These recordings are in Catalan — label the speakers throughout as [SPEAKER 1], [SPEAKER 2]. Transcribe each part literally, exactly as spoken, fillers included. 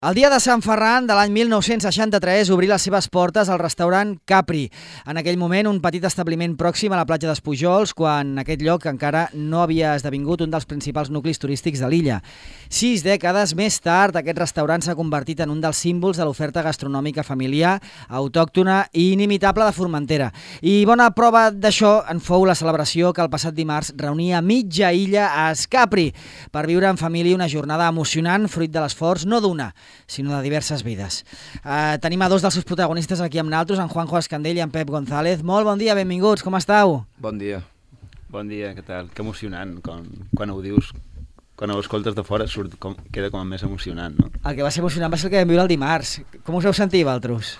[SPEAKER 1] El dia de Sant Ferran de l'any mil nou-cents seixanta-tres obrí les seves portes al restaurant Capri. En aquell moment, un petit establiment pròxim a la platja d'Espujols, quan aquest lloc encara no havia esdevingut un dels principals nuclis turístics de l'illa. Sis dècades més tard, aquest restaurant s'ha convertit en un dels símbols de l'oferta gastronòmica familiar, autòctona i inimitable de Formentera. I bona prova d'això en fou la celebració que el passat dimarts reunia mitja illa a Escapri per viure en família una jornada emocionant fruit de l'esforç no d'una, sinó de diverses vides. Uh, tenim a dos dels seus protagonistes aquí amb nosaltres, en Juanjo Escandell i en Pep González. Molt bon dia, benvinguts, com estàu?
[SPEAKER 2] Bon dia.
[SPEAKER 3] Bon dia, què tal? Que emocionant, quan, quan ho dius, quan ho escoltes de fora surt com, queda com més emocionant, no?
[SPEAKER 1] El que va ser emocionant va ser el que vam viure el dimarts. Com us heu sentit, vosaltres?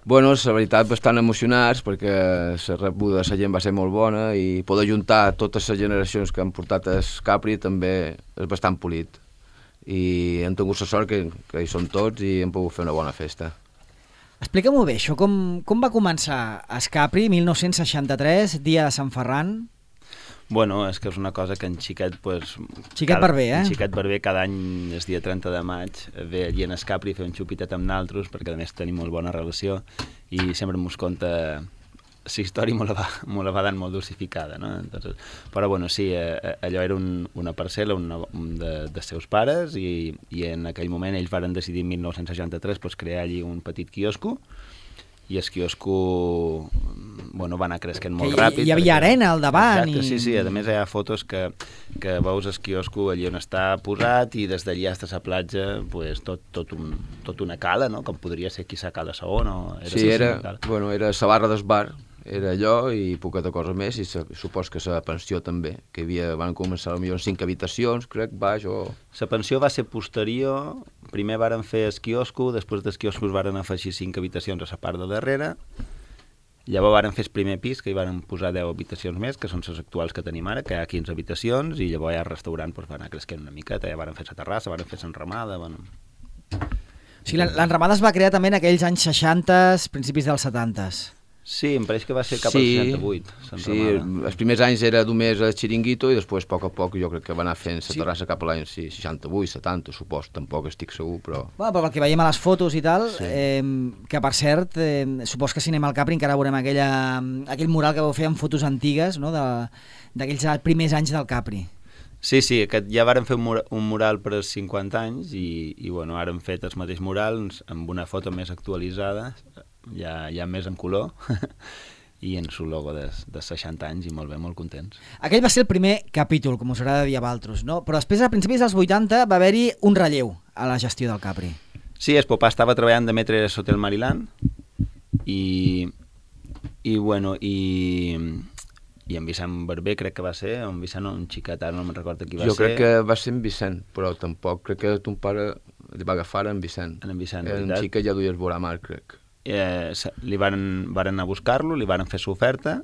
[SPEAKER 2] Bueno, la veritat, bastant emocionats, perquè la rebuda de la gent va ser molt bona i poder juntar totes les generacions que han portat el Capri també és bastant polit. I hem tingut la sort que, que hi som tots i hem pogut fer una bona festa.
[SPEAKER 1] Explica-m'ho bé, això com, com va començar a Escapri, mil nou-cents seixanta-tres, dia de Sant Ferran?
[SPEAKER 3] Bueno, és que és una cosa que en Xiquet... Pues,
[SPEAKER 1] Xiquet
[SPEAKER 3] cada,
[SPEAKER 1] Barber, eh?
[SPEAKER 3] En Xiquet Barber cada any, el dia trenta de maig, ve allí en Escapri a fer un xupitet amb naltros, perquè a més tenim molt bona relació, i sempre mos conta la història me la va, me la va dant molt dosificada, no? Entonces, però bueno, sí, eh, allò era un, una parcel·la una, un de, de seus pares i, i en aquell moment ells varen decidir en mil nou-cents seixanta-tres pues, crear allí un petit quiosco i el quiosco bueno, va anar creixent molt
[SPEAKER 1] que
[SPEAKER 3] ràpid.
[SPEAKER 1] Hi havia
[SPEAKER 3] perquè,
[SPEAKER 1] arena al davant.
[SPEAKER 3] Exacte,
[SPEAKER 1] I...
[SPEAKER 3] sí, sí, a més hi ha fotos que, que veus el quiosco allí on està posat i des d'allà fins a la platja pues, tot, tot, un, tot una cala, no? Com podria ser aquí la cala Saó, no?
[SPEAKER 2] Era sí, era, bueno, era la barra del bar, era allò i poqueta cosa més, i se, supos que la pensió també, que havia, van començar potser cinc habitacions, crec, baix o...
[SPEAKER 3] La pensió va ser posterior, primer varen fer el quiosco, després del quiosco varen afegir cinc habitacions a la part de darrere, llavors varen fer el primer pis, que hi varen posar deu habitacions més, que són les actuals que tenim ara, que hi ha quinze habitacions, i llavors ja el restaurant pues, va anar creixent una miqueta, ja varen fer la terrassa, varen fer l'enramada... Bueno.
[SPEAKER 1] O sigui, l'enramada es va crear també en aquells anys seixanta, principis dels setanta.
[SPEAKER 3] Sí, em pareix que va ser cap
[SPEAKER 2] sí,
[SPEAKER 3] al seixanta-vuit.
[SPEAKER 2] Sí, els primers anys era només el xiringuito i després, a poc a poc, jo crec que va anar fent la sí. terrassa cap a l'any sí, seixanta-vuit, setanta, supos, tampoc estic segur, però...
[SPEAKER 1] Bueno, però el que veiem a les fotos i tal,
[SPEAKER 2] sí.
[SPEAKER 1] eh, que per cert, eh, supos que si anem al Capri encara veurem aquella, aquell mural que vau fer amb fotos antigues, no?, d'aquells primers anys del Capri.
[SPEAKER 3] Sí, sí, aquest, ja varen fer un mural, un mural per als cinquanta anys i, i bueno, ara hem fet els mateixos murals amb una foto més actualitzada, ja, ja més en color, i en su logo de, de seixanta anys i molt bé, molt contents.
[SPEAKER 1] Aquell va ser el primer capítol, com us agrada dir a vosaltres, no? Però després, a principis dels vuitanta, va haver-hi un relleu a la gestió del Capri.
[SPEAKER 3] Sí, el papà estava treballant de metre a Hotel Mariland i, i bueno, i... i en Vicent Barber crec que va ser, en Vicent o en Xiquet, ara no me'n recordo qui va
[SPEAKER 2] jo
[SPEAKER 3] ser.
[SPEAKER 2] Jo crec que va ser en Vicent, però tampoc, crec que ton pare li va agafar en Vicent.
[SPEAKER 3] En Vicent,
[SPEAKER 2] en Xiquet ja duia el Boramar, crec.
[SPEAKER 3] Eh, li varen, varen anar a buscar-lo, li varen fer l'oferta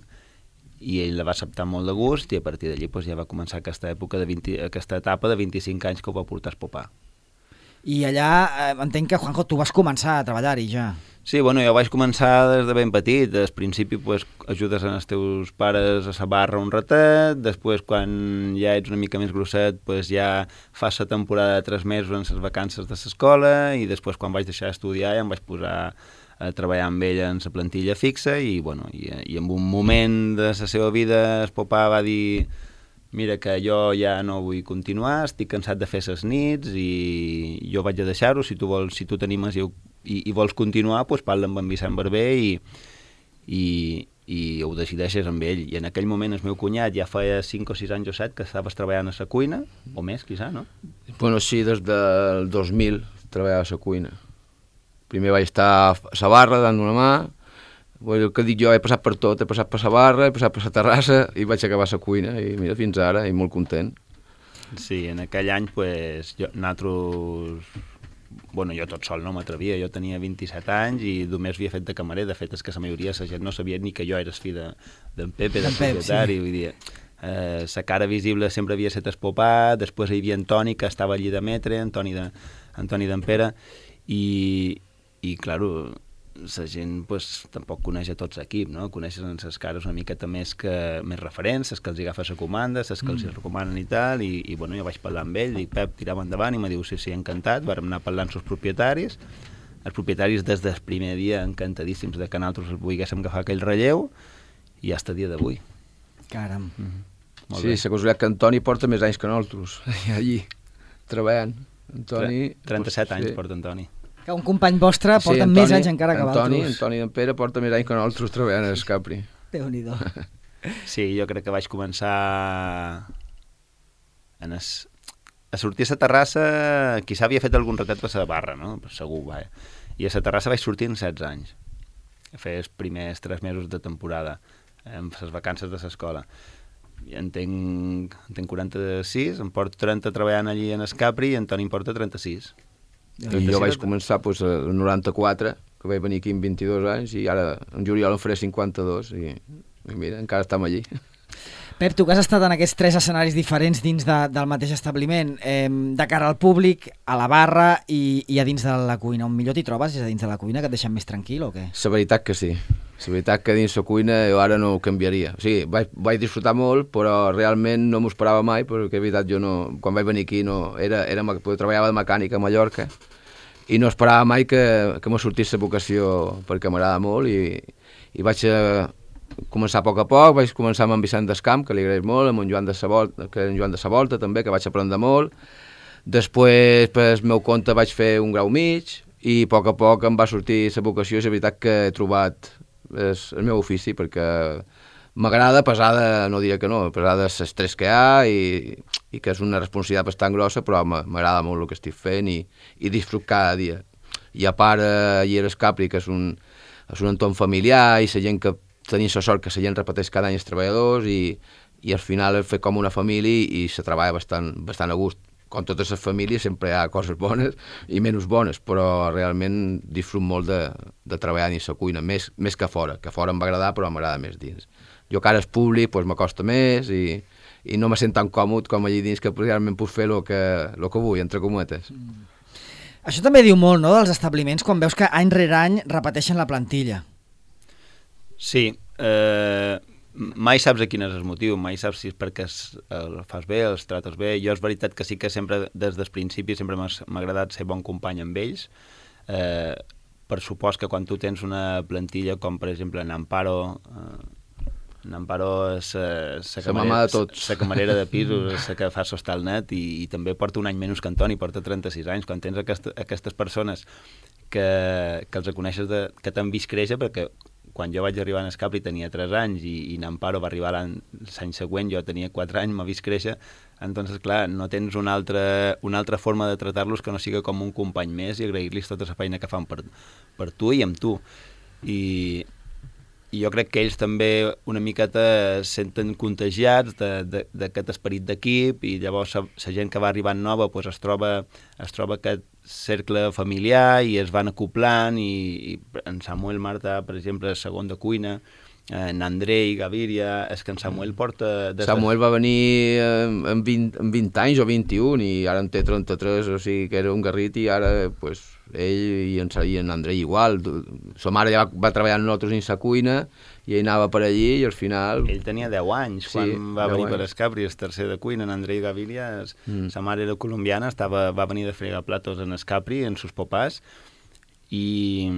[SPEAKER 3] i ell la va acceptar molt de gust i a partir d'allí pues, ja va començar aquesta època de vint, aquesta etapa de vint-i-cinc anys que ho va portar el papà.
[SPEAKER 1] I allà eh, entenc que, Juanjo, tu vas començar a treballar-hi ja.
[SPEAKER 3] Sí, bueno, jo vaig començar des de ben petit. Al principi pues, ajudes als teus pares a la barra un ratet, després quan ja ets una mica més grosset pues, ja fas la temporada de tres mesos en les vacances de l'escola i després quan vaig deixar d'estudiar ja em vaig posar a treballar amb ella en la plantilla fixa i, bueno, i, i en un moment de la seva vida el papà va dir mira que jo ja no vull continuar, estic cansat de fer les nits i jo vaig a deixar-ho, si tu vols, si tu t'animes i, i, i vols continuar, doncs parla amb en Vicent Barber i, i, i ho decideixes amb ell. I en aquell moment el meu cunyat ja feia cinc o sis anys o set que estaves treballant a la cuina, o més, quizà, no?
[SPEAKER 2] Bueno, sí, des del dos mil treballava a la cuina. Primer vaig estar a la barra dant una mà, el que dic jo, he passat per tot, he passat per la barra, he passat per la terrassa i vaig acabar a la cuina i mira, fins ara, i molt content.
[SPEAKER 3] Sí, en aquell any, pues, jo, nosaltres... Bueno, jo tot sol no m'atrevia, jo tenia vint-i-set anys i només havia fet de camarer, de fet és que la majoria de la gent no sabia ni que jo era el fill d'en de, Pepe, del propietari, sí. Vull dir, eh, la cara visible sempre havia estat el papà, després hi havia Antoni, que estava allí de metre, Antoni de, Antoni d'en Pere, i, i clar, la gent pues, tampoc coneix a tots l'equip, no? Coneixes en les cares una miqueta més, que, més referents, les que els agafa la comanda, les que mm. els recomanen i tal, i, i bueno, jo vaig parlar amb ell, dic, Pep, tirem endavant, i me diu, sí, sí, encantat, vàrem anar parlant amb els propietaris, els propietaris des del primer dia encantadíssims de que nosaltres volguéssim agafar aquell relleu, i hasta el dia d'avui.
[SPEAKER 1] Caram.
[SPEAKER 3] Mm-hmm.
[SPEAKER 2] Sí, la casualitat que Antoni porta més anys que nosaltres, allí, treballant. Antoni...
[SPEAKER 3] trenta-set
[SPEAKER 2] pues,
[SPEAKER 3] anys
[SPEAKER 2] sí.
[SPEAKER 3] porta Antoni.
[SPEAKER 1] Que un company vostre porta sí, Antoni, més anys encara que
[SPEAKER 2] Antoni,
[SPEAKER 1] vosaltres.
[SPEAKER 2] Antoni d'en Pere porta més anys que nosaltres treballant a Escapri.
[SPEAKER 1] Déu-n'hi-do.
[SPEAKER 3] Sí, jo crec que vaig començar en es... a sortir a la terrassa, qui s'havia fet algun ratet per la barra, no? Segur, vaja. I a la terrassa vaig sortir en setze anys. A fer els primers tres mesos de temporada, amb les vacances de l'escola. En tenc, en tenc quaranta-sis, em porto trenta treballant allí en Escapri i Antoni em porta trenta-sis.
[SPEAKER 2] I jo vaig començar pues, el noranta-quatre, que vaig venir aquí amb vint-i-dos anys, i ara en juliol em faré cinquanta-dos, i, i mira, encara estem allí.
[SPEAKER 1] Pep, tu que has estat en aquests tres escenaris diferents dins de, del mateix establiment, eh, de cara al públic, a la barra i, i a dins de la cuina, on millor t'hi trobes? És a dins de la cuina, que et deixen més tranquil o què?
[SPEAKER 2] La veritat que sí. La veritat que dins la cuina jo ara no ho canviaria. O sigui, vaig, vaig disfrutar molt, però realment no m'ho esperava mai, perquè és veritat, jo no, quan vaig venir aquí no, era, era, treballava de mecànica a Mallorca i no esperava mai que, que me sortís la vocació, perquè m'agrada molt, i, i vaig a començar a poc a poc, vaig començar amb en Vicent Descamp, que li agraeix molt, amb en Joan de Savolta, que en Joan de Savolta també, que vaig aprendre molt. Després, per el meu compte, vaig fer un grau mig, i a poc a poc em va sortir la vocació, i és veritat que he trobat és el meu ofici, perquè m'agrada, pesada, no diré que no, pesada l'estrès que hi ha, i, i que és una responsabilitat bastant grossa, però m'agrada molt el que estic fent, i, i disfruto cada dia. I a part, allà a Escapri, que és un, és un entorn familiar, i la gent que tenim la sort que la gent repeteix cada any els treballadors, i, i al final és fer com una família, i se treballa bastant, bastant a gust. Com totes les famílies sempre hi ha coses bones i menys bones, però realment disfruto molt de, de treballar dins la cuina, més, més que fora, que fora em va agradar, però m'agrada més dins. Jo que ara és públic, doncs m'acosta més, i, i no me sent tan còmode com allí dins, que realment puc fer el que, lo que vull, entre cometes.
[SPEAKER 1] Mm. Això també diu molt, no?, dels establiments, quan veus que any rere any repeteixen la plantilla.
[SPEAKER 3] Sí, eh... mai saps a quin és el motiu, mai saps si és perquè el fas bé, els trates bé. Jo és veritat que sí que sempre, des del principi, sempre m'ha agradat ser bon company amb ells. Eh, per supòs que quan tu tens una plantilla com, per exemple, Namparo, eh, Namparo és la camarera, camarera de pisos, és la que fa sostar el net, i, i també porta un any menys que Antoni, porta trenta-sis anys. Quan tens aquesta, aquestes persones que, que els coneixes, de, que t'han vist créixer, perquè quan jo vaig arribar a Escapri tenia tres anys, i, i Namparo va arribar l'any següent, jo tenia quatre anys, m'ha vist créixer, entonces, clar, no tens una altra, una altra forma de tratar-los que no siga com un company més, i agrair-los tota la feina que fan per, per tu i amb tu. I, i jo crec que ells també una miqueta es senten contagiats d'aquest esperit d'equip, i llavors la gent que va arribant nova pues, es troba, es troba aquest cercle familiar, i es van acoplant, i, i en Samuel Marta, per exemple, és segon de cuina, en Andrei Gaviria, és que en Samuel porta...
[SPEAKER 2] Samuel va venir amb vint, amb vint anys o vint-i-un, i ara en té trenta-tres, o sigui que era un garrit, i ara pues, ell i en, i en Andrei igual. Sa mare ja va, va treballar amb nosaltres dins la cuina, i ell anava per allí, i al final...
[SPEAKER 3] Ell tenia deu anys quan sí, va venir anys. Per Escapri, el tercer de cuina. En Andrei Gaviria, mm. sa mare era colombiana, estava, va venir de fregar platos en Escapri, en sus papàs, i,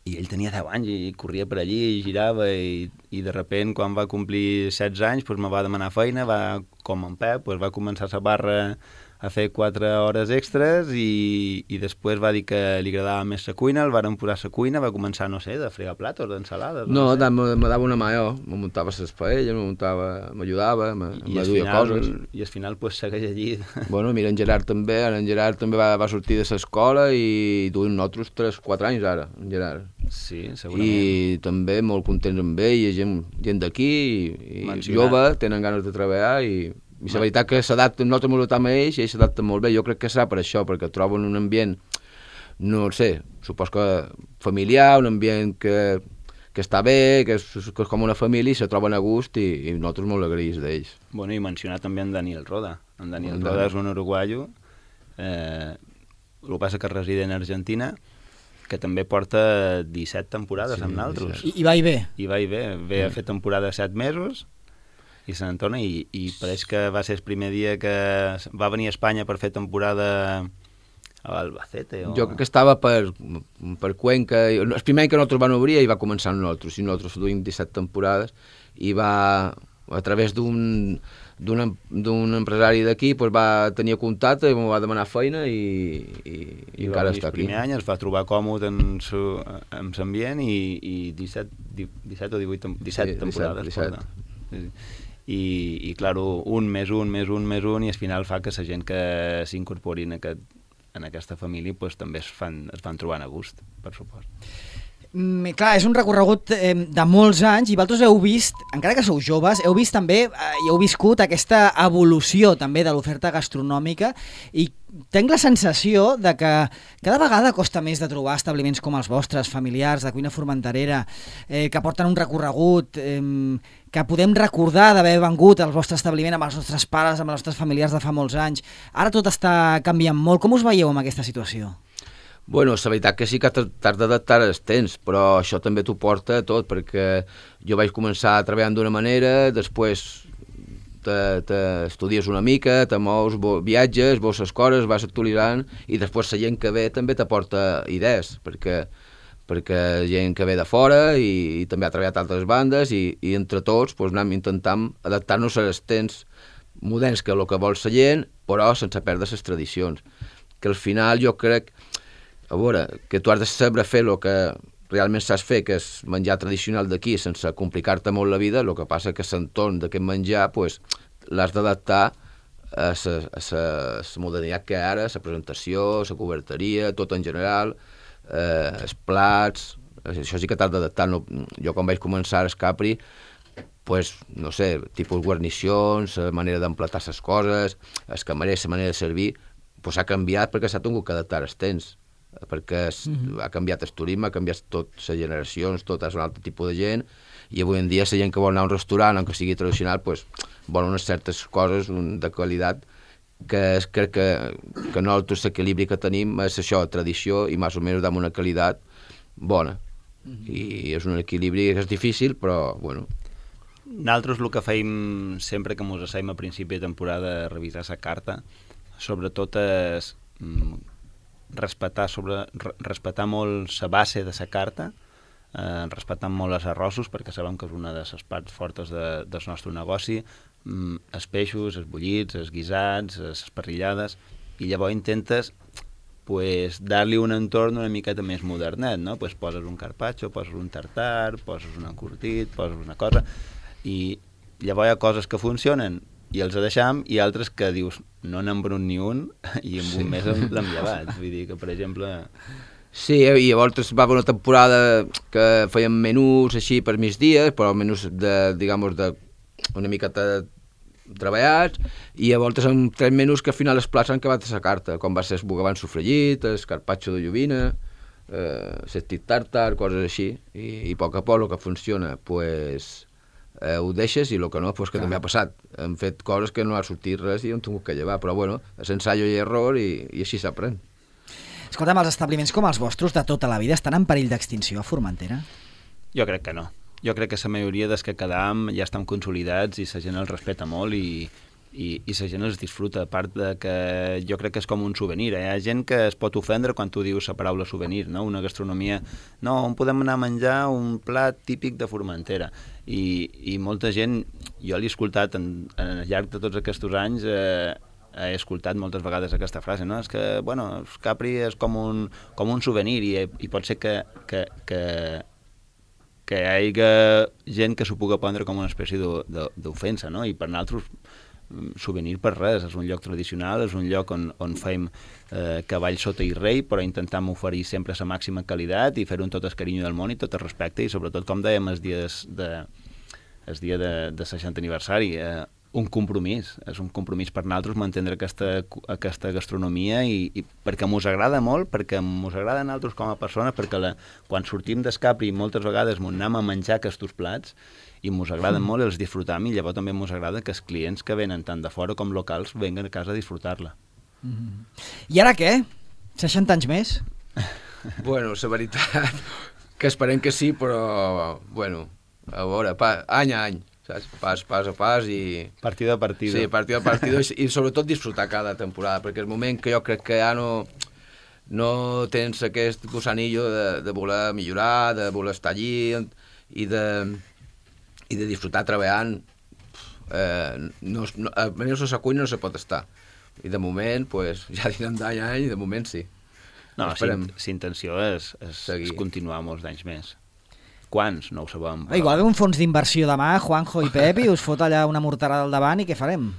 [SPEAKER 3] i ell tenia deu anys i corria per allí, i girava, i, i de repent, quan va complir setze anys, pues, me va demanar feina, va, com en Pep, pues, va començar a la barra a fer quatre hores extres, i, i després va dir que li agradava més la cuina, el varen posar a la cuina, va començar, no sé, de fregar platos, d'ensalades...
[SPEAKER 2] No, no me, me dava una mà jo, me muntava les paelles, me muntava, m'ajudava, me, me duia coses.
[SPEAKER 3] I al final, pues, segueix allí.
[SPEAKER 2] Bueno, mira, en Gerard també, ara en Gerard també va, va sortir de l'escola, i duim nosaltres tres quatre anys ara, en Gerard.
[SPEAKER 3] Sí, segurament.
[SPEAKER 2] I també molt contents amb ell, i gent, gent d'aquí, i, i jove, tenen ganes de treballar, i... I la veritat que s'adapten, nosaltres ens adaptem a ells, i ells s'adapten molt bé. Jo crec que serà per això, perquè troben un ambient, no sé, supos que familiar, un ambient que, que està bé, que és, que és com una família, i se troben a gust, i, i nosaltres molt agraïts d'ells.
[SPEAKER 3] Bueno, i mencionar també en Daniel Roda. En Daniel Roda és un uruguaio, eh, el que passa que reside en Argentina, que també porta disset temporades
[SPEAKER 2] sí,
[SPEAKER 3] amb naltros.
[SPEAKER 1] I, I va i ve.
[SPEAKER 3] I va i ve. Ve a fer temporada de set mesos i se n'entona, i, i pareix que va ser el primer dia que va venir a Espanya per fer temporada a Albacete. O...
[SPEAKER 2] Jo crec que estava per, per Cuenca. El primer any que nosaltres van obrir i va començar amb nosaltres, i nosaltres duim disset temporades, i va, a través d'un d'un d'un empresari d'aquí, pues va tenir contacte i em va demanar feina i, i, i, I encara està aquí.
[SPEAKER 3] El primer any es va trobar còmode en su, en l'ambient i, i disset, disset o divuit, disset sí, temporades. disset, disset. Sí. I, i clar, un més un, més un, més un, i al final fa que la gent que s'incorpori en, aquest, en aquesta família pues, també es, fan, es van trobant a gust, per supost.
[SPEAKER 1] Mm, clar, és un recorregut eh, de molts anys, i vosaltres heu vist, encara que sou joves, heu vist també, eh, i heu viscut aquesta evolució també de l'oferta gastronòmica, i tinc la sensació de que cada vegada costa més de trobar establiments com els vostres, familiars, de cuina formenterera, eh, que porten un recorregut, eh, que podem recordar d'haver vengut al vostre establiment amb els nostres pares, amb els nostres familiars de fa molts anys. Ara tot està canviant molt. Com us veieu amb aquesta situació?
[SPEAKER 2] Bueno, la veritat que sí que t'has d'adaptar als temps, però això també t'ho porta tot, perquè jo vaig començar treballant d'una manera, després t'estudies una mica, te mous, viatges, veus les coses, vas actualitzant, i després la gent que ve també t'aporta idees, perquè, perquè gent que ve de fora i, i també ha treballat altres bandes, i, i entre tots pues, anem intentant adaptar-nos als temps moderns, que és el que vol la gent, però sense perdre les tradicions. Que al final jo crec, a veure, que tu has de saber fer el que realment saps fer, que és menjar tradicional d'aquí, sense complicar-te molt la vida. El que passa que l'entorn d'aquest menjar pues, l'has d'adaptar a la modernitat que hi ha ara, la presentació, la coberteria, tot en general, eh, els plats, això sí que t'has d'adaptar. No, jo quan vaig començar a Capri, pues, no sé, tipus guarnicions, la manera d'emplatar les coses, els camarers, la manera de servir, pues, ha canviat perquè s'ha tingut que adaptar als temps, perquè mm-hmm. ha canviat el turisme, ha canviat tot les generacions, tot és un altre tipus de gent, i avui en dia la gent que vol anar a un restaurant, aunque sigui tradicional, pues, vol unes certes coses de qualitat, que és, crec que, que nosaltres l'equilibri que tenim és això, tradició, i més o menys amb una qualitat bona. Mm-hmm. I és un equilibri que és difícil, però, bueno...
[SPEAKER 3] Nosaltres el que feim sempre que ens asseiem a principi de temporada a revisar la carta, sobretot és respectar, sobre, respectar molt la base de la carta, eh, respectant molt els arrossos, perquè sabem que és una de les parts fortes de, del nostre negoci, mm, els peixos, els bullits, els guisats, les parrillades, i llavors intentes pues, dar-li un entorn una miqueta més modernet, no? Pues poses un carpaccio, poses un tartar, poses un encurtit, poses una cosa, i llavors hi ha coses que funcionen i els deixam, i altres que dius no n'hem venut ni un i en sí. un mes l'hem llevat. Vull dir que, per exemple...
[SPEAKER 2] Sí, i llavors va haver una temporada que fèiem menús així per migdies, però menús de, digamos, de una miqueta treballats, i llavors amb tres menús que al final els plats han acabat a la carta, com va ser el bogavant sofregit, el carpaccio de lluvina, eh, l'estit tartar, coses així, i, i a poc a poc el que funciona, pues... Eh, ho deixes, i el que no, pues, que Clar. també ha passat. Hem fet coses que no ha sortit res i hem tingut que llevar, però bueno, és ensaio i error, i, i així s'aprèn.
[SPEAKER 1] Escolta'm, els establiments com els vostres de tota la vida estan en perill d'extinció a Formentera?
[SPEAKER 3] Jo crec que no. Jo crec que la majoria dels que quedam ja estan consolidats i la gent els respecta molt i, i, i la gent els disfruta, a part de que jo crec que és com un souvenir. Hi ha gent que es pot ofendre quan tu dius la paraula souvenir, no? Una gastronomia... No, on podem anar a menjar un plat típic de Formentera? I, i molta gent, jo l'he escoltat en, en al llarg de tots aquests anys, eh, he escoltat moltes vegades aquesta frase, no? És que, bueno, el Capri és com un, com un souvenir, i, i pot ser que, que, que, que hi hagi gent que s'ho pugui prendre com una espècie d'ofensa, no? I per nosaltres, souvenir per res, és un lloc tradicional, és un lloc on, on fem eh, cavall sota i rei, però intentam oferir sempre la màxima qualitat i fer-ho amb tot el carinyo del món i tot el respecte, i sobretot, com dèiem, el dia de, el dia de, de seixantè aniversari, eh, un compromís, és un compromís per nosaltres mantindre aquesta, aquesta gastronomia, i, i perquè mos agrada molt, perquè mos agrada a nosaltres com a persones, perquè la, quan sortim d'Escapri moltes vegades mos anem a menjar aquests plats, i mos agraden molt, els disfrutam, i llavors també mos agrada que els clients que venen tant de fora com locals venguen a casa a disfrutar-la.
[SPEAKER 1] Mm-hmm. I ara què? seixanta anys més?
[SPEAKER 2] Bueno, la veritat, que esperem que sí, però, bueno, a veure, pa, any a any, saps? Pas, pas a pas i...
[SPEAKER 3] Partido a partido.
[SPEAKER 2] Sí, partido a partido, i, i sobretot disfrutar cada temporada, perquè el moment que jo crec que ja no, no tens aquest gusanillo de, de voler millorar, de voler estar allí i de, i de disfrutar treballant, eh, no, no, almenys a la cuina no se pot estar. I de moment, pues, ja direm d'any a any, i de moment sí.
[SPEAKER 3] No, si, si intenció és, és, és continuar molts anys més. Quants? No ho sabem.
[SPEAKER 1] Però... Igual ve un fons d'inversió demà, Juanjo i Pep, i us fot allà una morterada al davant, i què farem?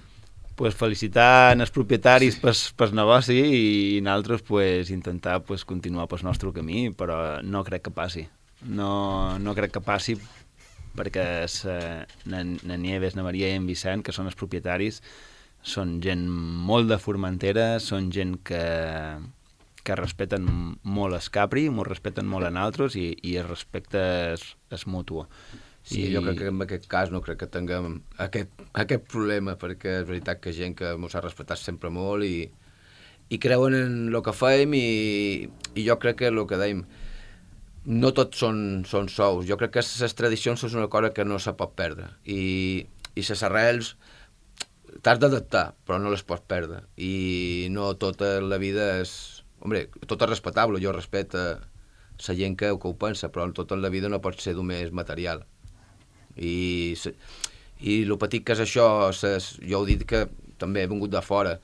[SPEAKER 3] Pues felicitar els propietaris pel, pel negoci i nosaltres pues, intentar pues, continuar pel nostre camí, però no crec que passi. No, no crec que passi perquè na Nieves, na Maria i en Vicent, que són els propietaris, són gent molt de Formentera, són gent que, que respecten molt el Capri, m'ho respecten molt a nosaltres i, i el respecte és, és mutu.
[SPEAKER 2] Sí, I... jo crec que en aquest cas no crec que tinguem aquest, aquest problema, perquè és veritat que gent que ens ha respectat sempre molt i, i creuen en el que fem i, i jo crec que el que dèiem, no tots són, són sous. Jo crec que les tradicions són una cosa que no se pot perdre i, i les arrels t'has d'adaptar, però no les pots perdre. I no tota la vida és... Hombre, tot és respectable, jo respecto la gent que, que ho pensa, però tota la vida no pot ser només material. I, i el petit que és això, ses, jo he dit que també he vingut de fora,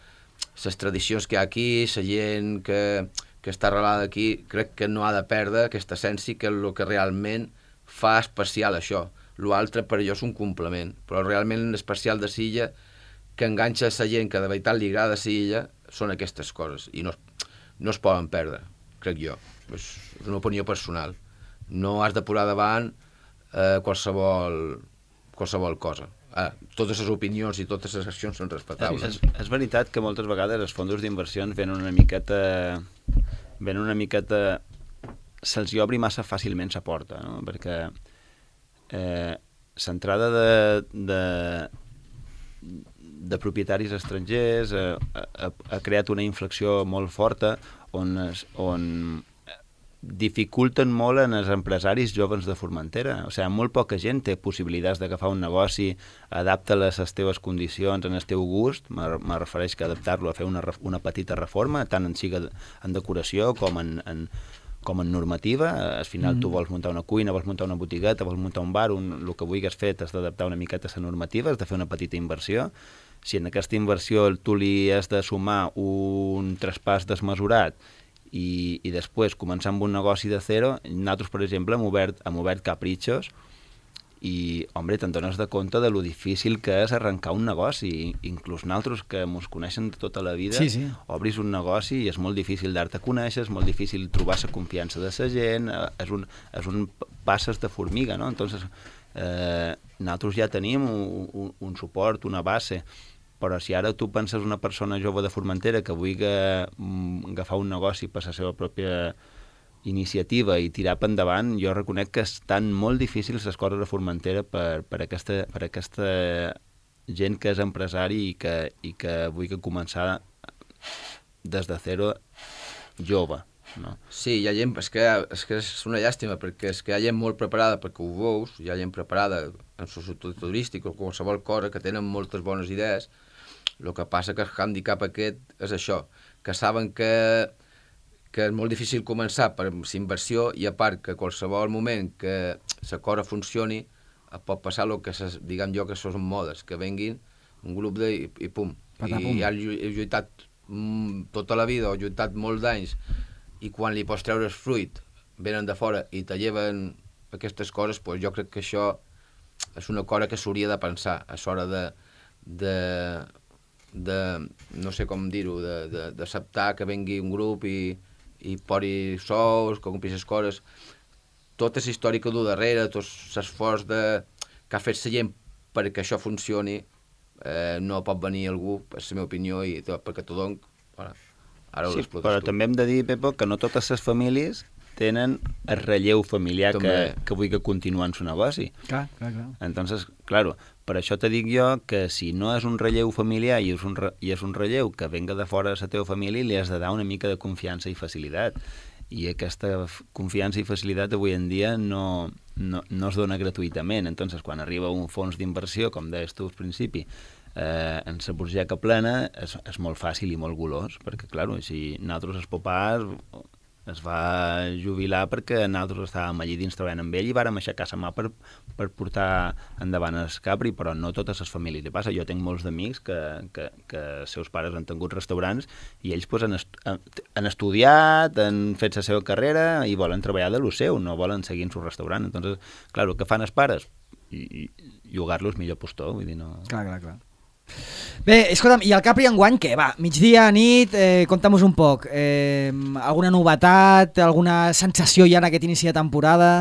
[SPEAKER 2] les tradicions que hi ha aquí, la gent que, que està arrelada aquí, crec que no ha de perdre aquesta essència, que és el que realment fa especial això. L'altre per jo és un complement, però realment l'especial de Silla que enganxa la gent que de veritat li agrada Silla són aquestes coses i no, no es poden perdre, crec jo. És una opinió personal. No has de posar davant eh, qualsevol, qualsevol cosa. Ah, totes les opinions i totes les accions són respectables.
[SPEAKER 3] És, és veritat que moltes vegades els fons d'inversions venen una miqueta... venen una miqueta... se'ls hi obri massa fàcilment la porta, no? Perquè eh, l'entrada de, de, de propietaris estrangers eh, ha, ha creat una inflexió molt forta on, es, on dificulten molt en els empresaris joves de Formentera. O sigui, molt poca gent té possibilitats d'agafar un negoci, adapta-les a les teves condicions, en el teu gust, me refereix que adaptar-lo a fer una, una petita reforma, tant en siga en decoració com en, en, com en normativa. Al final mm. tu vols muntar una cuina, vols muntar una botigueta, vols muntar un bar, un, el que vulguis fer has d'adaptar una miqueta a la normativa, has de fer una petita inversió. Si en aquesta inversió tu li has de sumar un traspàs desmesurat I, i després començar amb un negoci de zero, nosaltres, per exemple, hem obert, hem obert Caprichos i, home, te'n dones de compte de lo difícil que és arrencar un negoci. Inclús nosaltres, que ens coneixen de tota la vida,
[SPEAKER 1] sí, sí.
[SPEAKER 3] obris un negoci i és molt difícil dar-te a conèixer, és molt difícil trobar la confiança de la gent, és un, és un passes de formiga, no? Entonces, eh, nosaltres ja tenim un, un, un suport, una base, però si ara tu penses una persona jove de Formentera que vulgui agafar un negoci per la seva pròpia iniciativa i tirar per endavant, jo reconec que estan molt difícils les coses a Formentera per, per, aquesta, per aquesta gent que és empresari i que, i que vulgui començar des de zero jove. No?
[SPEAKER 2] Sí, hi ha gent, és que, és que és una llàstima, perquè és que hi ha gent molt preparada perquè ho veus, hi ha gent preparada en societat turística o qualsevol cosa que tenen moltes bones idees. El que passa que el handicap aquest és això, que saben que, que és molt difícil començar per la inversió i a part que qualsevol moment que la cosa funcioni pot passar el que ses, diguem jo que són modes, que venguin un grup de, i, i pum.
[SPEAKER 1] Patà,
[SPEAKER 2] I
[SPEAKER 1] pum.
[SPEAKER 2] ja he lluitat mm, tota la vida o he lluitat molts anys i quan li pots treure el fruit venen de fora i te lleven aquestes coses, pues jo crec que això és una cosa que s'hauria de pensar a l'hora de, de, de, no sé com dir-ho, d'acceptar que vengui un grup i, i pori sous, que compris les coses. Tota la història que du darrere, tot l'esforç de, que ha fet la gent perquè això funcioni, eh, no pot venir algú, és la meva opinió, i perquè t'ho dono, ara, ara ho
[SPEAKER 3] sí,
[SPEAKER 2] explotes
[SPEAKER 3] però
[SPEAKER 2] tu.
[SPEAKER 3] també hem de dir, Pepo, que no totes les famílies tenen el relleu familiar que, que vulgui continuar en su negoci.
[SPEAKER 1] Clar, clar, clar.
[SPEAKER 3] Entonces, claro, per això te dic jo que si no és un relleu familiar i és un, re, i és un relleu que venga de fora de la teva família, li has de dar una mica de confiança i facilitat. i aquesta confiança i facilitat avui en dia no, no, no es dona gratuïtament. Entonces, quan arriba un fons d'inversió, com deies tu al principi, eh, en la burgeca plena, és, és molt fàcil i molt golós, perquè, clar, si nosaltres els popars es va jubilar perquè nosaltres estàvem allí dins treballant amb ell i vàrem aixecar la mà per, per portar endavant el Capri, però no totes les famílies li passa. Jo tinc molts d'amics que, que, que els seus pares han tingut restaurants i ells pues, han, est han estudiat, han fet la seva carrera i volen treballar de lo seu, no volen seguir en su restaurant. Entonces, clar, què fan els pares? I, i llogar-los millor postor, vull dir, no...
[SPEAKER 1] Clar, clar, clar. Bé, escolta'm, i el Capri enguany què? Va, migdia, nit, eh, conta'm-nos un poc. Eh, alguna novetat, alguna sensació ja en aquest inici de temporada?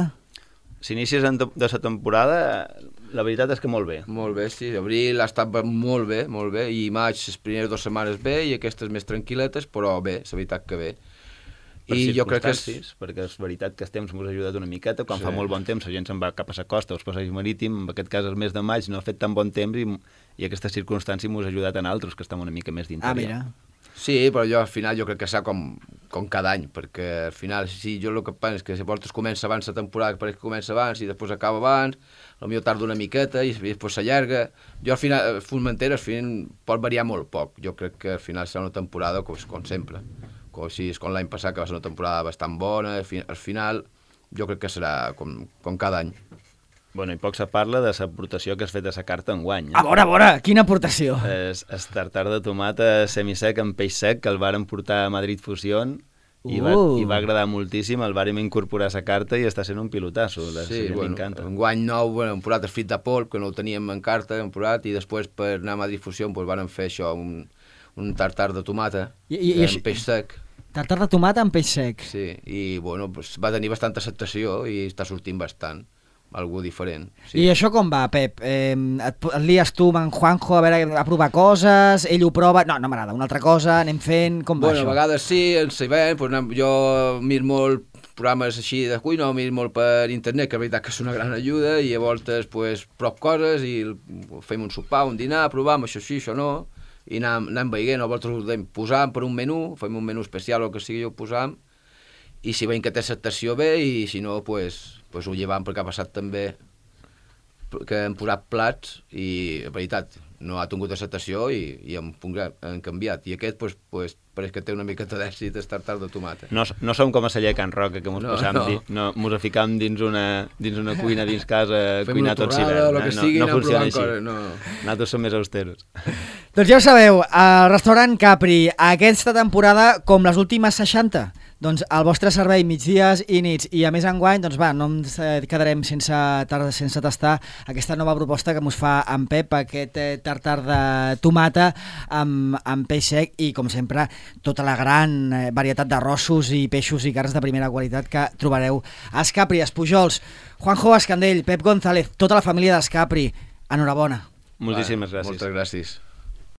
[SPEAKER 3] Si inicis de la temporada, la veritat és que molt bé.
[SPEAKER 2] Molt bé, sí. Abril ha estat molt bé, molt bé, i maig les primeres dues setmanes bé, i aquestes més tranquil·letes, però bé, la veritat que bé.
[SPEAKER 3] Per I jo crec que és... perquè és veritat que el temps ens ha ajudat una miqueta, quan sí. fa molt bon temps la gent se'n va cap a la costa, als passeigs marítims, en aquest cas el mes de maig no ha fet tan bon temps i, i aquestes circumstàncies ens ha ajudat a altres que estem una mica més d'interior.
[SPEAKER 1] Ah, mira.
[SPEAKER 2] Sí, però jo al final jo crec que serà com, com cada any, perquè al final, sí, jo el que penso és que si portes comença abans la temporada, que pareix que comença abans i després acaba abans, potser tarda una miqueta i després s'allarga. Jo al final, Formentera, al final pot variar molt poc. Jo crec que al final serà una temporada com, com sempre. Com, si és com l'any passat, que va ser una temporada bastant bona, al final jo crec que serà com, com cada any.
[SPEAKER 3] Bueno, i poc se parla de l'aportació que has fet a la carta enguany. Eh?
[SPEAKER 1] A veure, a veure, quina aportació?
[SPEAKER 3] És el tartar de tomata semisec amb peix sec que el varen portar a Madrid Fusion i, uh. va, i va agradar moltíssim, el vàrem incorporar a la carta i està sent un pilotasso.
[SPEAKER 2] Sí, bueno, enguany nou, bueno, hem posat el fit de polp, que no el teníem en carta, hem posat, i després per anar a Madrid Fusion pues, vàrem fer això, un, un tartar de tomata I, i, amb i peix sec.
[SPEAKER 1] Tartar de tomata amb peix sec.
[SPEAKER 2] Sí, i bueno, pues, va tenir bastanta acceptació i està sortint bastant, algú diferent. Sí.
[SPEAKER 1] I això com va, Pep? Eh, et, et lies tu amb en Juanjo a, veure, a provar coses, ell ho prova... No, no m'agrada, una altra cosa, anem fent... Com va
[SPEAKER 2] bueno,
[SPEAKER 1] això?
[SPEAKER 2] A vegades sí, ens sabem, pues, jo miro molt programes així de cuina, miro molt per internet, que la veritat que és una gran ajuda, i a voltes pues, prop coses i fem un sopar, un dinar, provam això sí, això no... i anem, anem veient, a voltes ho posam per un menú, fem un menú especial o el que sigui, ho posam, i si veiem que té acceptació bé, i si no, pues, pues ho llevam, perquè ha passat també que hem posat plats i, en veritat, no ha tingut acceptació i, i hem, hem canviat. I aquest, pues, pues, pareix que té una miqueta d'èxit el tartar de tomata.
[SPEAKER 3] No, no som com a celler Can Roca, que mos, no, no. Di, no, mos ficam dins una, dins una cuina, dins casa,
[SPEAKER 2] fem
[SPEAKER 3] cuinar tot l'hivern.
[SPEAKER 2] Eh? No, no funciona així.
[SPEAKER 3] Coses, no. Nosaltres som més austeros.
[SPEAKER 1] Doncs ja ho sabeu, el restaurant Capri, aquesta temporada, com les últimes seixanta, doncs el vostre servei migdies i nits, i a més enguany, doncs va, no ens quedarem sense, sense tastar aquesta nova proposta que mos fa en Pep, aquest tartar de tomata amb, amb peix sec i, com sempre, tota la gran varietat d'arrossos i peixos i carns de primera qualitat que trobareu a Escapri, a Pujols. Juanjo Escandell, Pep González, tota la família d'Escapri, enhorabona.
[SPEAKER 3] Moltíssimes gràcies.
[SPEAKER 2] Moltes gràcies.